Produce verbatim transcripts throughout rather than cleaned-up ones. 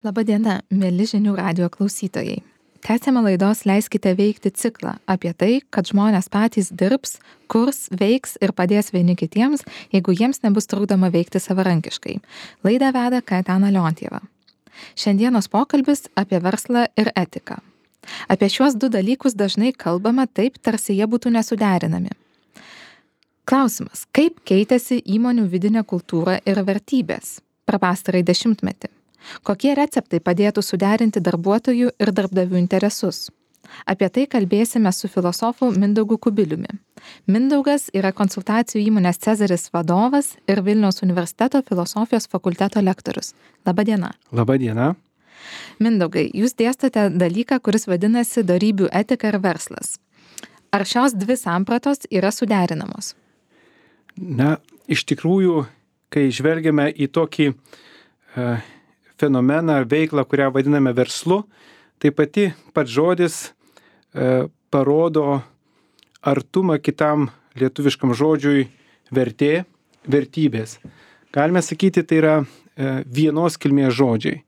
Labadiena, mėly žinių radijo klausytojai. Tęsiame laidos Leiskite veikti ciklą apie tai, kad žmonės patys dirbs, kurs, veiks ir padės vieni kitiems, jeigu jiems nebus trukdoma veikti savarankiškai. Laidą veda Kaetana Leontieva. Šiandienos pokalbis apie verslą ir etiką. Apie šiuos du dalykus dažnai kalbama taip, tarsi jie būtų nesuderinami. Klausimas, kaip keitėsi įmonių vidinė kultūra ir vertybės per pastarąjį dešimtmetį? Kokie receptai padėtų suderinti darbuotojų ir darbdavių interesus? Apie tai kalbėsime su filosofu Mindaugu Kubiliumi. Mindaugas yra konsultacijų įmonės Cezaris vadovas ir Vilniaus universiteto filosofijos fakulteto lektorius. Labadiena. Labadiena. Mindaugai, jūs dėstate dalyką, kuris vadinasi dorybių etika ir verslas. Ar šios dvi sampratos yra suderinamos? Na, iš tikrųjų, kai žvelgiame į tokį uh, fenomeną ar veiklą, kurią vadiname verslu, tai pati pats žodis e, parodo artumą kitam lietuviškam žodžiui vertė, vertybės. Galime sakyti, tai yra e, vienos kilmės žodžiai.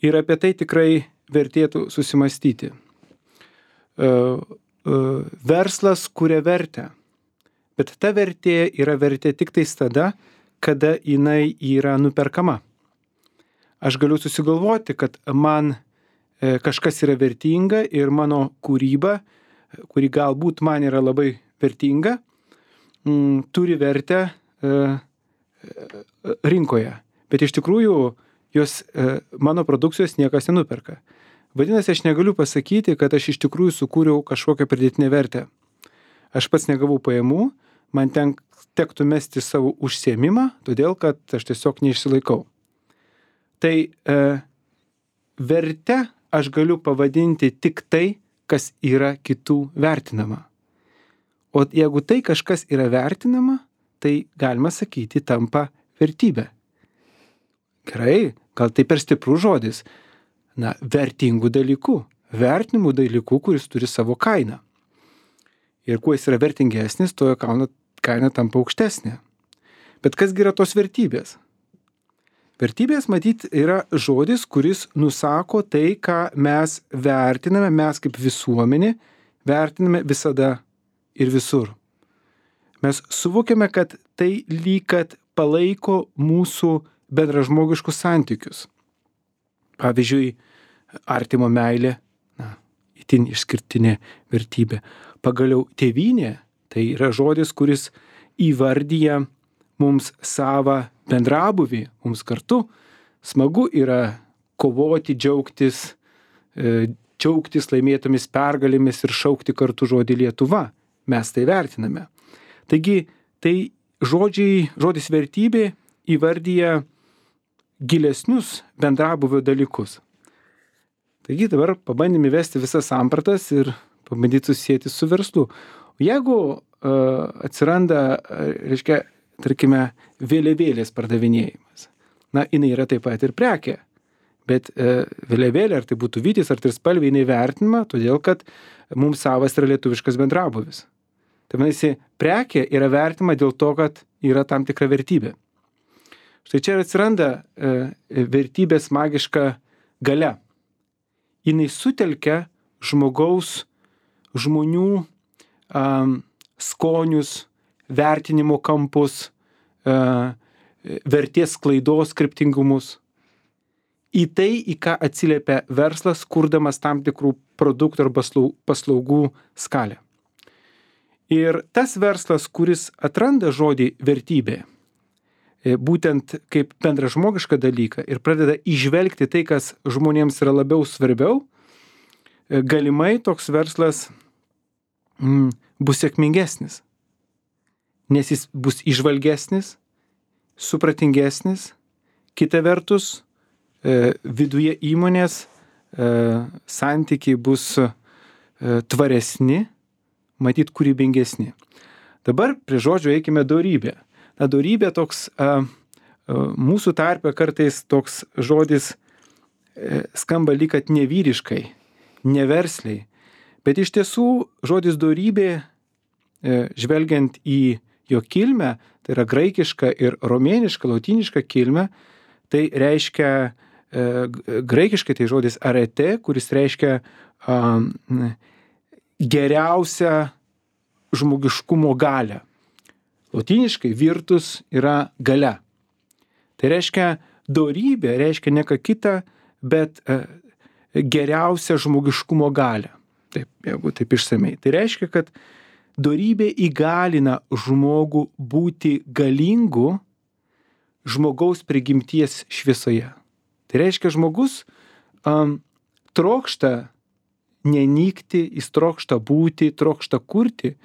Ir apie tai tikrai vertėtų susimastyti. E, e, verslas kuria vertę, bet ta vertė yra vertė tik tais tada, kada jinai yra nuperkama. Aš galiu susigalvoti, kad man e, kažkas yra vertinga ir mano kūryba, kuri galbūt man yra labai vertinga, m, turi vertę e, rinkoje. Bet iš tikrųjų jos, e, mano produkcijos niekas nenuperka. Vadinasi, aš negaliu pasakyti, kad aš iš tikrųjų sukūriau kažkokią pridėtinę vertę. Aš pats negavau pajamų, man ten tektų mesti savo užsiėmimą, todėl kad aš tiesiog neišsilaikau. Tai e, verte aš galiu pavadinti tik tai, kas yra kitų vertinama. O jeigu tai kažkas yra vertinama, tai galima sakyti tampa vertybė. Gerai, gal tai per stiprus žodis. Na, vertingų dalykų, vertinimų dalykų, kuris turi savo kainą. Ir kuo jis yra vertingesnis, to jo kaina, kaina tampa aukštesnė. Bet kasgi yra tos vertybės? Vertybės, matyt, yra žodis, kuris nusako tai, ką mes vertiname, mes kaip visuomenė vertiname visada ir visur. Mes suvokiame, kad tai lyg kad palaiko mūsų bendražmogiškus santykius. Pavyzdžiui, artimo meilė, na, itin išskirtinė vertybė. Pagaliau tėvynė, tai yra žodis, kuris įvardyja mums savą bendrabuvį, mums kartu smagu yra kovoti, džiaugtis, e, džiaugtis laimėtomis pergalėmis ir šaukti kartu žodį Lietuva. Mes tai vertiname. Taigi, tai žodžiai, žodis vertybė įvardyja gilesnius bendrabuvio dalykus. Taigi dabar pabandėme įvesti visas sampratas ir pabandyti susijęti su verslu. Jeigu uh, atsiranda, reiškia, tarkime, vėliavėlės pardavinėjimas. Na, jinai yra taip pat ir prekė, bet e, vėliavėlė, ar tai būtų vytis, ar trispalvė, jinai vertinama, todėl kad mums savas yra lietuviškas bendrabuvis. Tai manasi, prekė yra vertinama dėl to, kad yra tam tikra vertybė. Štai čia atsiranda e, vertybės magiška galia. Jinai sutelkia žmogaus, žmonių um, skonius, vertinimo kampus, vertės sklaidos kryptingumus. Į tai, į ką atsiliepia verslas, kurdamas tam tikrų produktų arba paslaugų skalę. Ir tas verslas, kuris atranda žodį vertybė, būtent kaip bendražmogišką dalyką ir pradeda įžvelgti tai, kas žmonėms yra labiau svarbiau, galimai toks verslas mm, bus sėkmingesnis. Nes jis bus įžvalgesnis, supratingesnis, kita vertus, e, viduje įmonės e, santykiai bus e, tvaresni, matyt kūrybingesni. Dabar prie žodžio eikime dorybė. Na, dorybė toks, e, e, mūsų tarpe kartais toks žodis e, skamba lyg kad nevyriškai, neversliai, bet iš tiesų žodis dorybė, e, žvelgiant į jo kilmę, tai yra graikiška ir romėniška, lotyniška kilmė, tai reiškia graikiškai tai žodis arete, kuris reiškia um, geriausią žmogiškumo galią. Lotyniškai virtus yra galia. Tai reiškia dorybė, reiškia ne ką kitą, bet uh, geriausią žmogiškumo galią. Taip, jeigu taip išsamei. Tai reiškia, kad dorybė įgalina žmogų būti galingu žmogaus prigimties šviesoje. Tai reiškia, žmogus um, trokšta nenykti, jis trokšta būti, trokšta kurti,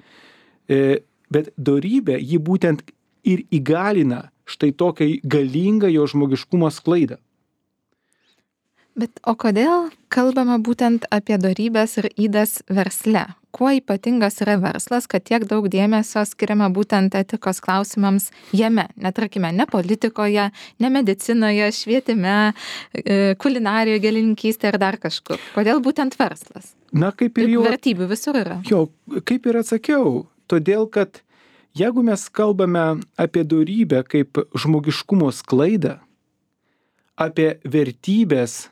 e, bet dorybė jį būtent ir įgalina štai tokią galingą jo žmogiškumo sklaidą. Bet o kodėl kalbama būtent apie dorybės ir ydas versle? Kuo ypatingas yra verslas, kad tiek daug dėmesio skiriama būtent etikos klausimams jame? Netarkime, ne politikoje, ne medicinoje, švietime, kulinarijoje, gėlininkystėje ir dar kažkur. Kodėl būtent verslas? Na, kaip ir jau... Vertybių visur yra. Jo, kaip ir atsakiau. Todėl, kad jeigu mes kalbame apie dorybę kaip žmogiškumo sklaidą, apie vertybės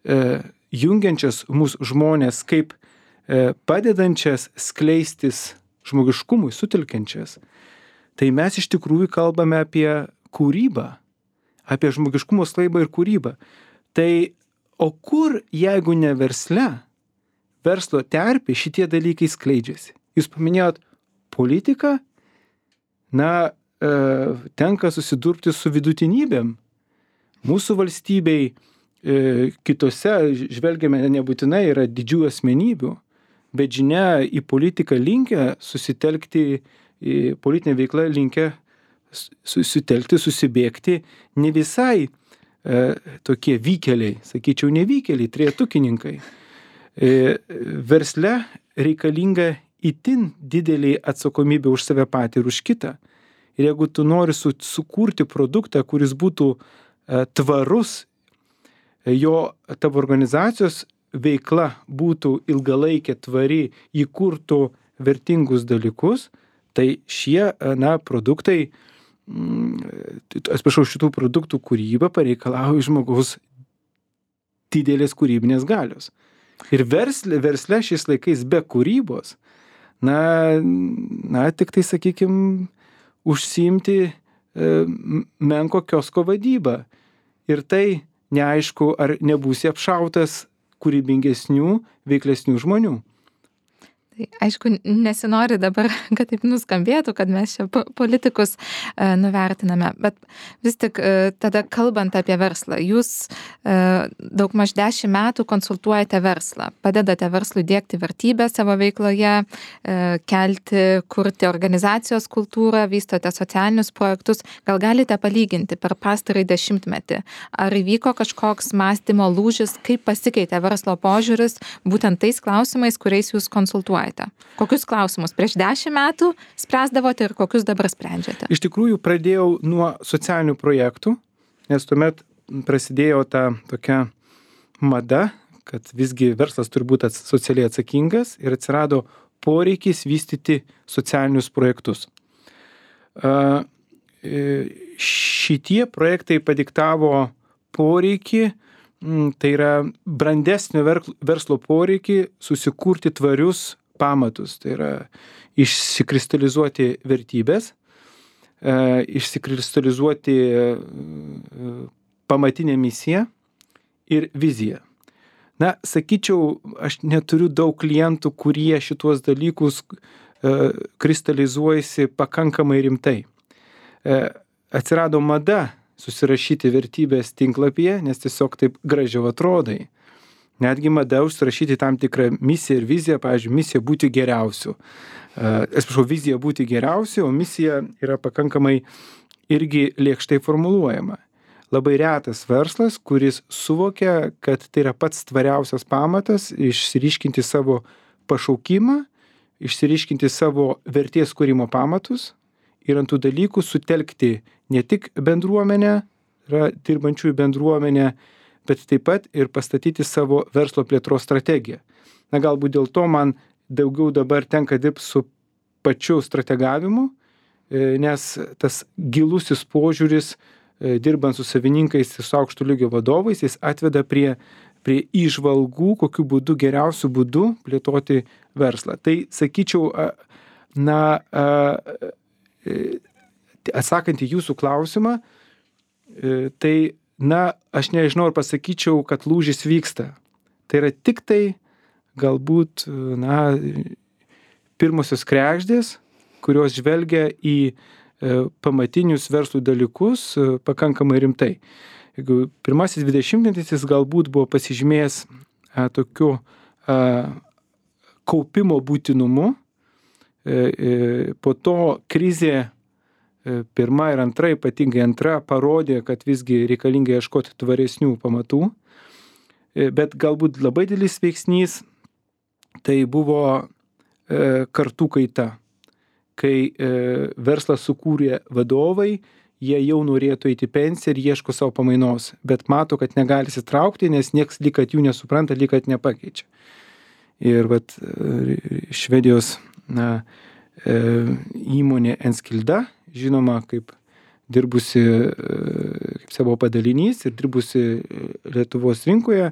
e, jungiančias mūsų žmonės kaip e, padedančias skleistis žmogiškumui, sutelkiančias, tai mes iš tikrųjų kalbame apie kūrybą, apie žmogiškumo sklaidą ir kūrybą. Tai o kur, jeigu ne versle, verslo terpė šitie dalykai skleidžiasi? Jūs paminėjot politiką, na, e, tenka susidurti su vidutinybėm. Mūsų valstybei e, kitose, žvelgiame, nebūtinai yra didžių asmenybių, bet žinia, į politiką linkę susitelkti, į politinę veiklą linkę susitelkti, susibėgti ne visai e, tokie vykeliai, sakyčiau, nevykeliai, trejetukininkai. E, versle reikalinga itin didelį atsakomybę už save patį ir už kitą. Ir jeigu tu nori su, sukurti produktą, kuris būtų tvarus, jo tavo organizacijos veikla būtų ilgalaikė, tvari, įkurtų vertingus dalykus, tai šie, na, produktai, atsiprašau, šitų produktų kūryba pareikalauja žmogaus didelės kūrybinės galios. Ir versle, versle šiais laikais be kūrybos, na, na tik tai, sakykime, užsiimti e, menko kiosko vadybą. Ir tai neaišku, ar nebūsi apšautas kūrybingesnių, veiklesnių žmonių. Tai aišku, nesinori dabar, kad taip nuskambėtų, kad mes čia politikus e, nuvertiname, bet vis tik e, tada kalbant apie verslą, jūs e, daug maž dešimt metų konsultuojate verslą, padedate verslui diegti vertybę savo veikloje, e, kelti, kurti organizacijos kultūrą, vystote socialinius projektus. Gal galite palyginti per pastarąjį dešimtmetį, ar įvyko kažkoks mąstymo lūžis, kaip pasikeitė verslo požiūris būtent tais klausimais, kuriais jūs konsultuojate? Kokius klausimus prieš dešimt metų spręsdavote ir kokius dabar sprendžiate? Iš tikrųjų, pradėjau nuo socialinių projektų, nes tuomet prasidėjo ta tokia mada, kad visgi verslas turi būti socialiai atsakingas ir atsirado poreikis vystyti socialinius projektus. Šitie projektai padiktavo poreikį, tai yra brandesnio verslo poreikį susikurti tvarius pamatus, tai yra išsikristalizuoti vertybės, e, išsikristalizuoti e, pamatinę misiją ir viziją. Na, sakyčiau, aš neturiu daug klientų, kurie šituos dalykus e, kristalizuojasi pakankamai rimtai. E, atsirado mada susirašyti vertybės tinklapyje, nes tiesiog taip gražiau atrodai. Netgi mada užsirašyti tam tikrą misiją ir viziją, pavyzdžiui, misija būti geriausiu. Atsiprašau, vizija būti geriausiu, o misija yra pakankamai irgi lėkštai formuluojama. Labai retas verslas, kuris suvokia, kad tai yra pats tvariausias pamatas išsiriškinti savo pašaukimą, išsiriškinti savo vertės kūrimo pamatus ir ant tų dalykų sutelkti ne tik bendruomenę, yra dirbančiųjų bendruomenę, bet taip pat ir pastatyti savo verslo plėtros strategiją. Na, galbūt dėl to man daugiau dabar tenka dirbti su pačiu strategavimu, nes tas gilusis požiūris dirbant su savininkais ir su aukšto lygio vadovais, jis atveda prie, prie įžvalgų, kokiu būdu, geriausiu būdu plėtoti verslą. Tai sakyčiau, na, atsakant į jūsų klausimą, tai, na, aš nežinau, ar pasakyčiau, kad lūžis vyksta. Tai yra tik tai galbūt, na, pirmosios kregždės, kurios žvelgia į pamatinius verslų dalykus pakankamai rimtai. Jeigu pirmasis dvidešimtmetis jis galbūt buvo pasižymėjęs a, tokiu a, kaupimo būtinumu, e, e, po to krizė e, pirma ir antra, ypatingai antra, parodė, kad visgi reikalinga ieškoti tvaresnių pamatų, e, bet galbūt labai didelis veiksnys tai buvo e, kartų kaita. Kai e, verslą sukūrė vadovai, jie jau norėtų eiti pensiją ir ieško savo pamainos, bet mato, kad negali įsitraukti, nes nieks lyg kad jų nesupranta, lyg kad nepakeičia. Ir vat, Švedijos na, e, įmonė Enskilda, žinoma, kaip dirbusi kaip savo padalinys ir dirbusi Lietuvos rinkoje,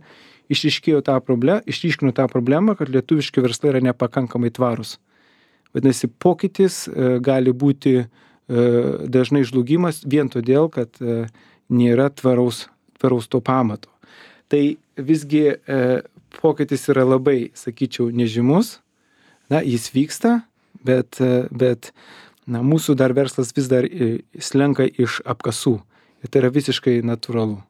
išryškėjo tą problemą, išryškino tą problemą, kad lietuviški verslai yra nepakankamai tvarūs. Vadinasi, pokytis e, gali būti e, dažnai žlugimas vien todėl, kad e, nėra tvaraus, tvaraus to pamato. Tai visgi e, pokytis yra labai, sakyčiau, nežymus. Na, jis vyksta, bet, e, bet na, mūsų dar verslas vis dar e, slenka iš apkasų. Ir tai yra visiškai natūralu.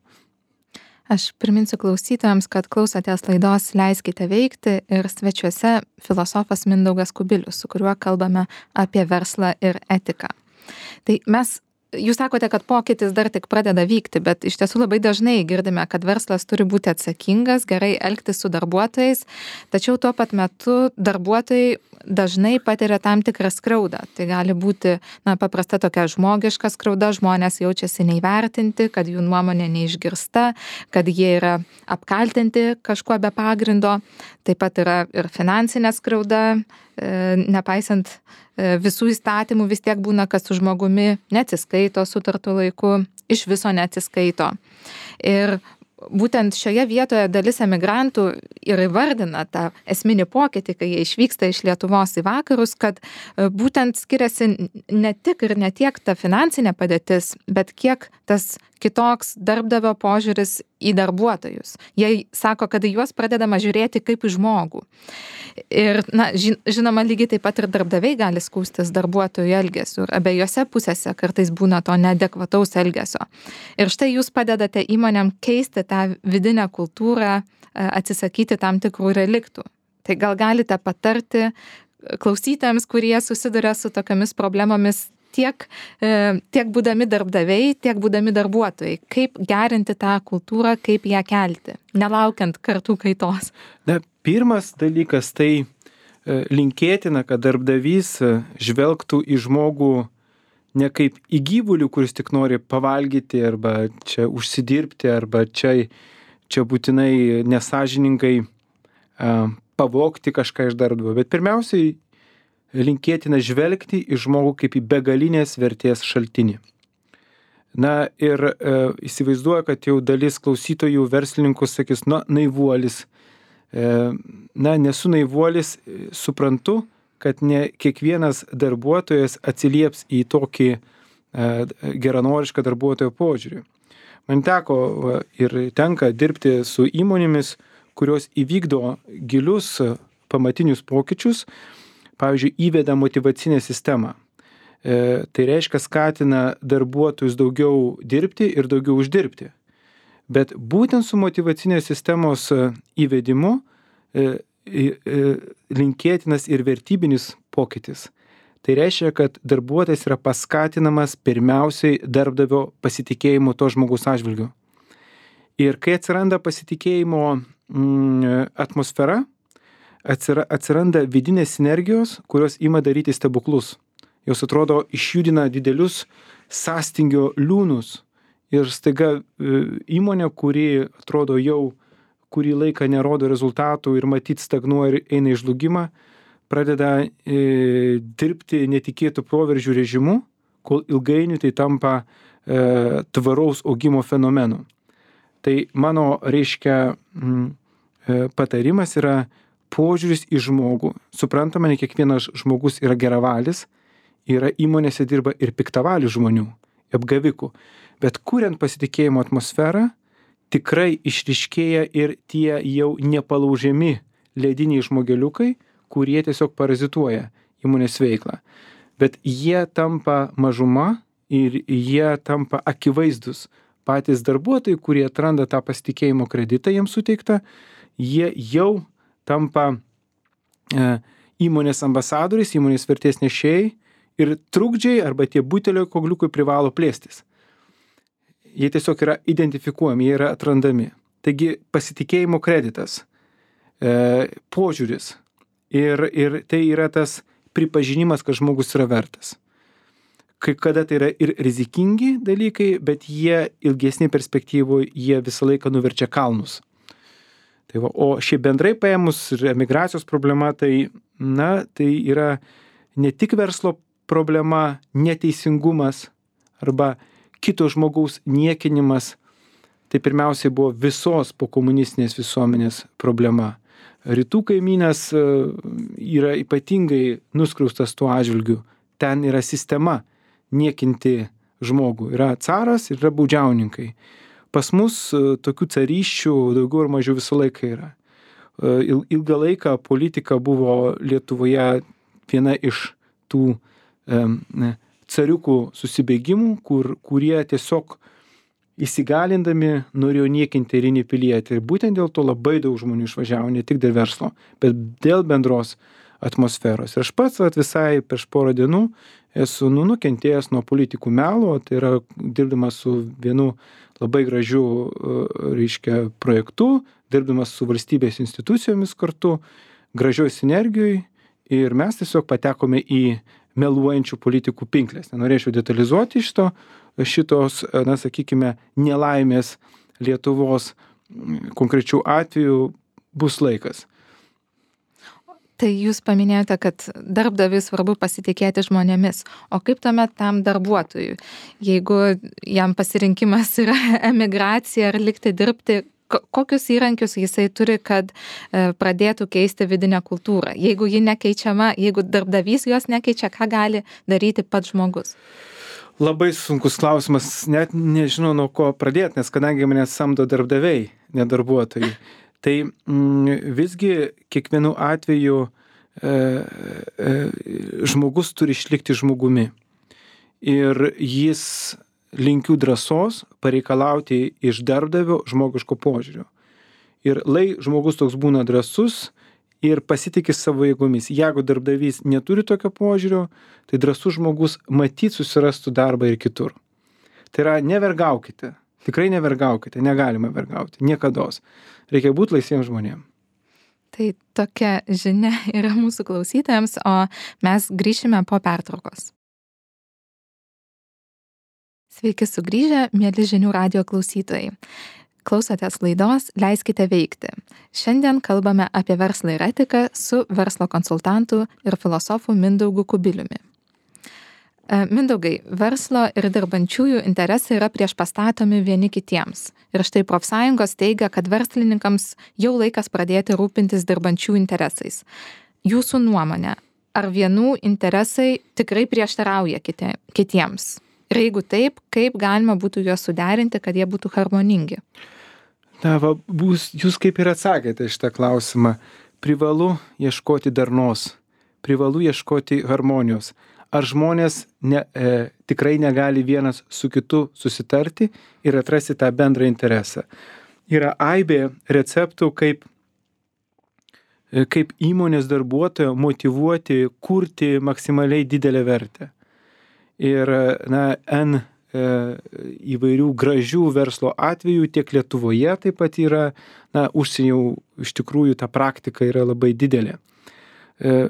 Aš priminsiu klausytojams, kad klausotės laidos Leiskite veikti ir svečiuose filosofas Mindaugas Kubilius, su kuriuo kalbame apie verslą ir etiką. Tai mes, jūs sakote, kad pokytis dar tik pradeda vykti, bet iš tiesų labai dažnai girdime, kad verslas turi būti atsakingas, gerai elgtis su darbuotojais, tačiau tuo pat metu darbuotojai dažnai patiria tam tikrą skriaudą. Tai gali būti na, paprasta tokia žmogiška skriauda, žmonės jaučiasi neįvertinti, kad jų nuomonė neišgirsta, kad jie yra apkaltinti kažkuo be pagrindo. Taip pat yra ir finansinė skriauda, e, nepaisant e, visų įstatymų vis tiek būna, kad su žmogumi neatsiskaito sutartu laiku, iš viso neatsiskaito. Ir būtent šioje vietoje dalis emigrantų ir įvardina tą esminį pokytį, kai jie išvyksta iš Lietuvos į vakarus, kad būtent skiriasi ne tik ir ne tiek ta finansinė padėtis, bet kiek tas kitoks darbdavio požiūris į darbuotojus. Jie sako, kad juos pradedama žiūrėti kaip į žmogų. Ir, na, žinoma, lygiai taip pat ir darbdaviai gali skųstis darbuotojų elgesiu. Ir abiejose pusėse kartais būna to neadekvataus elgesio. Ir štai jūs padedate įmonėm keisti tą vidinę kultūrą, atsisakyti tam tikrų reliktų. Tai gal galite patarti klausytojams, kurie susiduria su tokiamis problemomis, tiek, tiek būdami darbdaviai, tiek būdami darbuotojai. Kaip gerinti tą kultūrą, kaip ją kelti, nelaukiant kartų kaitos? Na, pirmas dalykas tai linkėtina, kad darbdavys žvelgtų į žmogų ne kaip į gyvulių, kuris tik nori pavalgyti arba čia užsidirbti, arba čia, čia būtinai nesąžiningai pavogti kažką iš darbdavio, bet pirmiausiai linkėtina žvelgti į žmogų kaip į begalinės vertės šaltinį. Na ir e, įsivaizduoju, kad jau dalis klausytojų verslininkų sakys, na, naivuolis. E, na, nesu naivuolis, suprantu, kad ne kiekvienas darbuotojas atsilieps į tokį e, geranorišką darbuotojo požiūrį. Man teko va, ir tenka dirbti su įmonėmis, kurios įvykdo gilius pamatinius pokyčius, pavyzdžiui, įveda motyvacinę sistemą. E, tai reiškia skatina darbuotojus daugiau dirbti ir daugiau uždirbti. Bet būtent su motyvacinės sistemos įvedimu e, e, linkėtinas ir vertybinis pokytis. Tai reiškia, kad darbuotojas yra paskatinamas pirmiausiai darbdavio pasitikėjimo to žmogaus atžvilgiu. Ir kai atsiranda pasitikėjimo mm, atmosfera, atsiranda vidinės sinergijos, kurios ima daryti stebuklus. Jos atrodo išjudina didelius sąstingio liūnus ir staiga įmonė, kuri atrodo jau kurį laiką nerodo rezultatų ir matyt stagnuoja ir eina į žlugimą, pradeda e, dirbti netikėtų proveržių režimu, kol ilgainiui tai tampa e, tvaraus augimo fenomenų. Tai mano, reiškia, m, e, patarimas yra požiūris į žmogų. Suprantama, ne kiekvienas žmogus yra geravalis, yra įmonėse dirba ir piktavalių žmonių, apgavikų. Bet kuriant pasitikėjimo atmosferą, tikrai išryškėja ir tie jau nepalaužiami lediniai žmogeliukai, kurie tiesiog parazituoja įmonės veiklą. Bet jie tampa mažuma ir jie tampa akivaizdus. Patys darbuotojai, kurie atranda tą pasitikėjimo kreditą jiems suteiktą, jie jau tampa e, įmonės ambasadoriais, įmonės vertės nešėjai ir trukdžiai arba tie butelio kogliukai privalo plėstis. Jie tiesiog yra identifikuojami, jie yra atrandami. Taigi pasitikėjimo kreditas, e, požiūris ir, ir tai yra tas pripažinimas, kad žmogus yra vertas. Kai kada tai yra ir rizikingi dalykai, bet jie ilgesnį perspektyvų, jie visą laiką nuverčia kalnus. Tai va, o šiaip bendrai paėmus ir emigracijos problema, tai, na, tai yra ne tik verslo problema, neteisingumas arba kito žmogaus niekinimas, tai pirmiausiai buvo visos pokomunistinės visuomenės problema. Rytų kaimynės yra ypatingai nuskriaustas tuo atžvilgiu. Ten yra sistema niekinti žmogų. Yra caras ir yra baudžiauninkai. Pas mus tokių carysčių daugiau ar mažiau visą laiką yra. Ilgą laiką politika buvo Lietuvoje viena iš tų e, cariukų susibėgimų, kur, kurie tiesiog įsigalindami norėjo niekinti eilinį pilietį. Ir būtent dėl to labai daug žmonių išvažiavo, ne tik dėl verslo, bet dėl bendros atmosferos. Ir aš pats vat, visai prieš porą dienų esu nu, nukentėjęs nuo politikų melo, tai yra dirbdamas su vienu labai gražiu, reiškia, projektu, dirbdamas su valstybės institucijomis kartu, gražioj sinergijoj ir mes tiesiog patekome į meluojančių politikų pinklės. Nenorėčiau detalizuoti šito, šitos, na, sakykime, nelaimės Lietuvos konkrečių atvejų bus laikas. Tai jūs paminėjote, kad darbdaviui svarbu pasitikėti žmonėmis. O kaip tuomet tam darbuotojui? Jeigu jam pasirinkimas yra emigracija ar likti dirbti, kokius įrankius jisai turi, kad pradėtų keisti vidinę kultūrą? Jeigu ji nekeičiama, jeigu darbdavys jos nekeičia, ką gali daryti pats žmogus? Labai sunkus klausimas, net nežinau nuo ko pradėti, nes kadangi mane samdo darbdaviai, ne darbuotojai. Tai mm, visgi kiekvienu atveju e, e, žmogus turi išlikti žmogumi. Ir jis linkiu drąsos pareikalauti iš darbdavio žmogiško požiūrio. Ir lai žmogus toks būna drąsus ir pasitikė savo jėgomis. Jeigu darbdavys neturi tokio požiūrio, tai drąsus žmogus matyt susirastų darbą ir kitur. Tai yra nevergaukite. Tikrai nevergaukite, negalima vergauti, niekados. Reikia būti laisviems žmonėms. Tai tokia žinia yra mūsų klausytojams, o mes grįšime po pertraukos. Sveiki sugrįžę, mieli Žinių radijo klausytojai. Klausotės laidos Leiskite veikti. Šiandien kalbame apie verslą ir etiką su verslo konsultantu ir filosofu Mindaugu Kubiliumi. Mindaugai, verslo ir dirbančiųjų interesai yra priešpastatomi vieni kitiems. Ir štai profsąjungos teigia, kad verslininkams jau laikas pradėti rūpintis dirbančių interesais. Jūsų nuomonė, ar vienų interesai tikrai prieštarauja kiti, kitiems? Ir jeigu taip, kaip galima būtų juos suderinti, kad jie būtų harmoningi? Na, va, bus, jūs kaip ir atsakėte šitą klausimą. Privalu ieškoti darnos, privalu ieškoti harmonijos. Ar žmonės ne, e, tikrai negali vienas su kitu susitarti ir atrasti tą bendrą interesą? Yra aibė receptų, kaip, e, kaip įmonės darbuotoją motyvuoti, kurti maksimaliai didelę vertę. Ir, na, N e, įvairių gražių verslo atvejų tiek Lietuvoje taip pat yra, na, užsienio iš tikrųjų ta praktika yra labai didelė. E,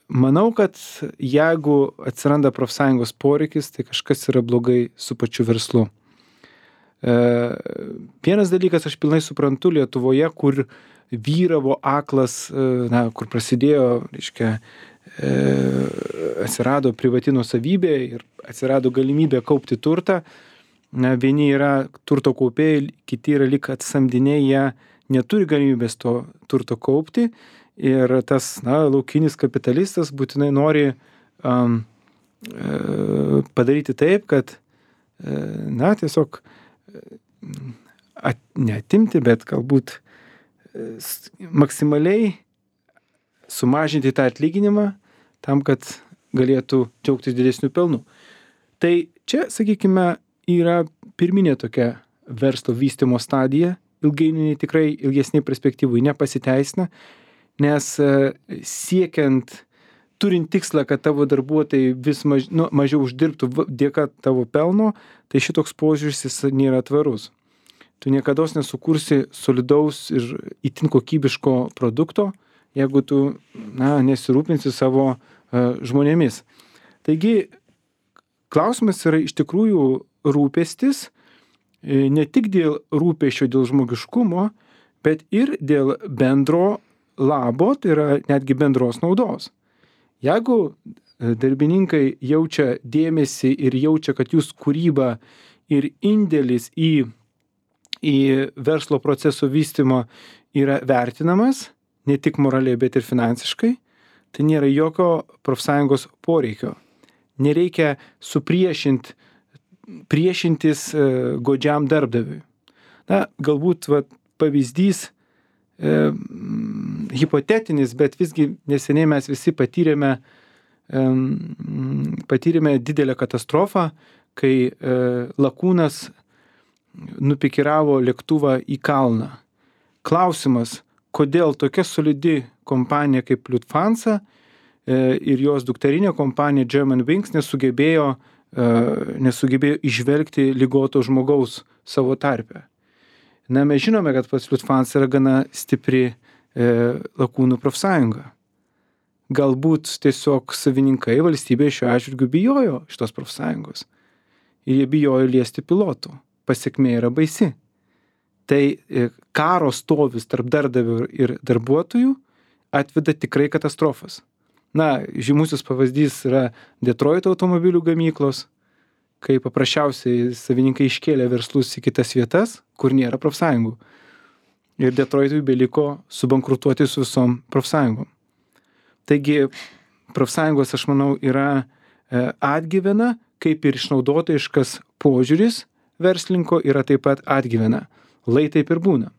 Manau, kad jeigu atsiranda profsąjungos poreikis, tai kažkas yra blogai su pačiu verslu. E, vienas dalykas, aš pilnai suprantu, Lietuvoje, kur vyravo aklas, na, kur prasidėjo, reiškia, e, atsirado privati nuosavybė ir atsirado galimybė kaupti turtą, na, vieni yra turto kaupėjai, kiti yra lyg atsamdiniai, jie neturi galimybės to turto kaupti ir tas, na, laukinis kapitalistas būtinai nori um, padaryti taip, kad, na, tiesiog at, neatimti, bet galbūt maksimaliai sumažinti tą atlyginimą tam, kad galėtų džiaugtis didesnių pelnų. Tai čia, sakykime, yra pirminė tokia verslo vystymo stadija, ilgainiui tikrai ilgesnė perspektyvai nepasiteisina, nes siekiant, turint tikslą, kad tavo darbuotojai vis maž, nu, mažiau uždirbtų dėka tavo pelno, tai šitoks požiūris jis nėra tvarus. Tu niekados nesukursi solidaus ir itin kokybiško produkto, jeigu tu, na, nesirūpinsi savo uh, žmonėmis. Taigi, klausimas yra iš tikrųjų rūpestis, ne tik dėl rūpesčio, dėl žmogiškumo, bet ir dėl bendro labo, tai yra netgi bendros naudos. Jeigu darbininkai jaučia dėmesį ir jaučia, kad jūs kūryba ir indėlis į, į verslo proceso vystymo yra vertinamas, ne tik moraliai, bet ir finansiškai, tai nėra jokio profsąjungos poreikio. Nereikia supriešinti, priešintis e, godžiam darbdaviui. Na, galbūt va, pavyzdys e, hipotetinis, bet visgi neseniai mes visi patyrėme, e, patyrėme didelę katastrofą, kai e, lakūnas nupikiravo lėktuvą į kalną. Klausimas, kodėl tokia solidi kompanija kaip Lufthansa e, ir jos dukterinė kompanija Germanwings nesugebėjo nesugebėjo išvelgti ligoto žmogaus savo tarpe. Na, mes žinome, kad pats Lufthansa yra gana stipri e, lakūnų profsąjunga. Galbūt tiesiog savininkai valstybėje šiuo atžvilgiu bijojo šitos profsąjungos. Ir jie bijojo liesti pilotų. Pasekmė yra baisi. Tai e, karo stovis tarp darbdavių ir darbuotojų atveda tikrai katastrofas. Na, žymusis pavyzdys yra Detroito automobilių gamyklos, kai paprasčiausiai savininkai iškėlė verslus į kitas vietas, kur nėra profsąjungų. Ir Detroitui beliko subankrutuoti su visom profsąjungom. Taigi, profsąjungos, aš manau, yra atgyvena, kaip ir išnaudotojiškas požiūris verslinko yra taip pat atgyvena. Lai taip ir būna.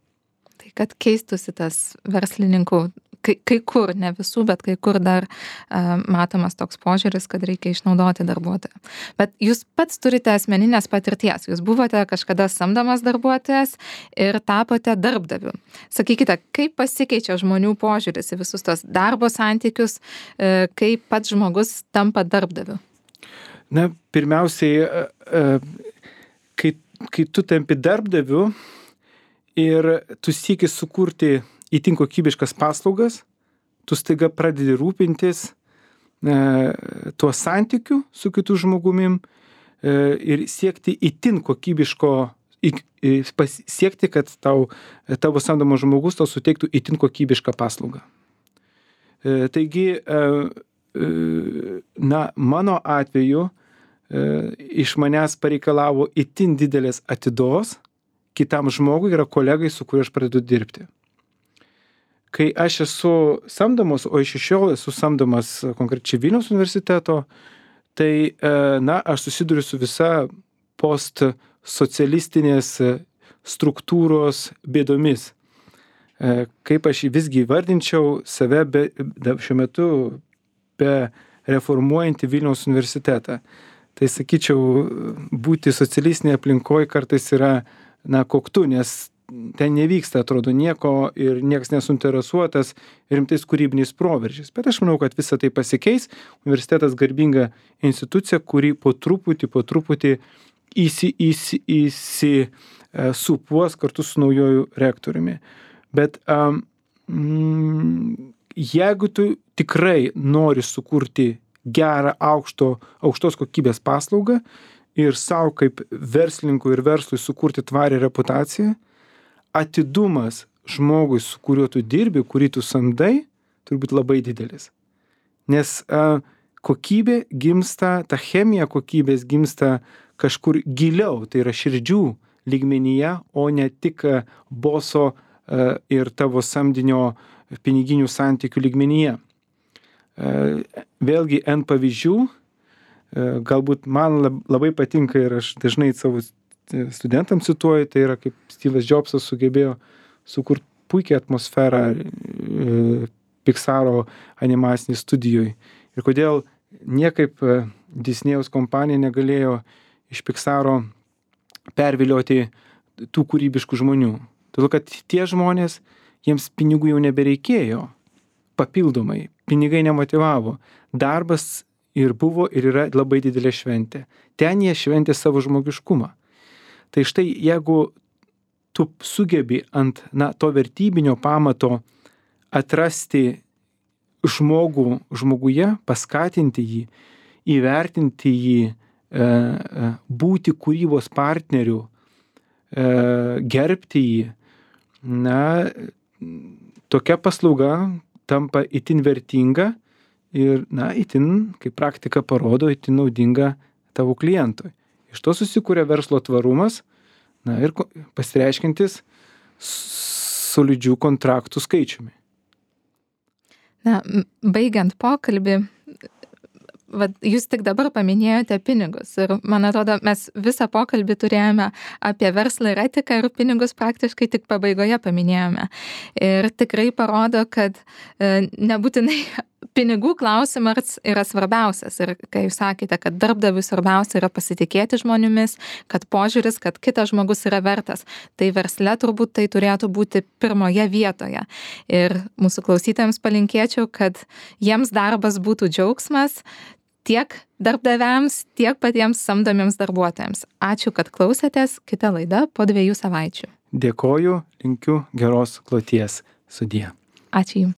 Tai kad keistųsi tas verslininkų, kai, kai kur, ne visų, bet kai kur dar uh, matomas toks požiūris, kad reikia išnaudoti darbuotoją. Bet jūs pats turite asmeninės patirties, jūs buvote kažkada samdomas darbuotojas ir tapote darbdaviu. Sakykite, kaip pasikeičia žmonių požiūris į visus tos darbo santykius, uh, kaip pats žmogus tampa darbdaviu? Na, pirmiausiai, uh, uh, kai, kai tu tampi darbdaviu, ir tu sieki sukurti itin kokybiškas paslaugas, tu staiga pradedi rūpintis e, tuo santykiu su kitu žmogumim e, ir siekti itin kokybiško, i, i, siekti, kad tau, tavo samdomas žmogus tau suteiktų itin kokybišką paslaugą. E, taigi, e, e, na, mano atveju e, iš manęs pareikalavo itin didelės atidos kitam žmogui, yra kolegai, su kuriuo aš pradedu dirbti. Kai aš esu samdomas, o iš šiol esu samdomas konkrečiai Vilniaus universiteto, tai, na, aš susiduriu su visa postsocialistinės struktūros bėdomis. Kaip aš visgi įvardinčiau save be, šiuo metu be reformuojantį Vilniaus universitetą. Tai sakyčiau, būti socialistinėje aplinkoje kartais yra na, koktu, nes ten nevyksta, atrodo, nieko ir niekas nesuinteresuotas rimtais kūrybiniais proveržiais. Bet aš manau, kad visa tai pasikeis. Universitetas garbinga institucija, kuri po truputį, po truputį įsi, įsi, įsi, uh, supuos kartu su naujoju rektoriumi. Bet um, mm, jeigu tu tikrai nori sukurti gerą, aukšto, aukštos kokybės paslaugą, ir savo kaip verslininkui ir verslui sukurti tvarią reputaciją, atidumas žmogui, su kuriuo tu dirbi, kurį tu samdai, turi būti labai didelis. Nes a, kokybė gimsta, ta chemija kokybės gimsta kažkur giliau, tai yra širdžių lygmenyje, o ne tik boso ir tavo samdinio piniginių santykių lygmenyje. Vėlgi N pavyzdžių, galbūt man labai patinka ir aš dažnai savo studentams cituoju, tai yra kaip Steve'as Jobsas sugebėjo sukurti puikią atmosferą Pixaro animacinėj studijoj. Ir kodėl niekaip Disnėjaus kompanija negalėjo iš Pixaro pervilioti tų kūrybiškų žmonių. Todėl, kad tie žmonės, jiems pinigų jau nebereikėjo papildomai, pinigai nemotivavo. Darbas ir buvo ir yra labai didelė šventė. Ten jie šventė savo žmogiškumą. Tai štai, jeigu tu sugebi ant na, to vertybinio pamato atrasti žmogų žmoguje, paskatinti jį, įvertinti jį, būti kūrybos partneriu, gerbti jį, na, tokia paslauga tampa itin vertinga ir, na, itin, kaip praktika parodo, itin naudinga tavo klientui. Iš to susikūrė verslo tvarumas, na, ir pasireiškintis solidžių kontraktų skaičiumi. Na, baigiant pokalbį, vat, jūs tik dabar paminėjote pinigus ir man atrodo, mes visą pokalbį turėjome apie verslą ir etiką ir pinigus praktiškai tik pabaigoje paminėjome. Ir tikrai parodo, kad e, nebūtinai pinigų klausimas yra svarbiausias. Ir kai jūs sakėte, kad darbdaviui svarbiausia yra pasitikėti žmonėmis, kad požiūris, kad kitas žmogus yra vertas, tai versle turbūt tai turėtų būti pirmoje vietoje. Ir mūsų klausytojams palinkėčiau, kad jiems darbas būtų džiaugsmas, tiek darbdaviams, tiek patiems samdomiems darbuotojams. Ačiū, kad klausėtės. Kita laida po dviejų savaičių. Dėkoju, linkiu geros kloties. Sudie. Ačiū Jums.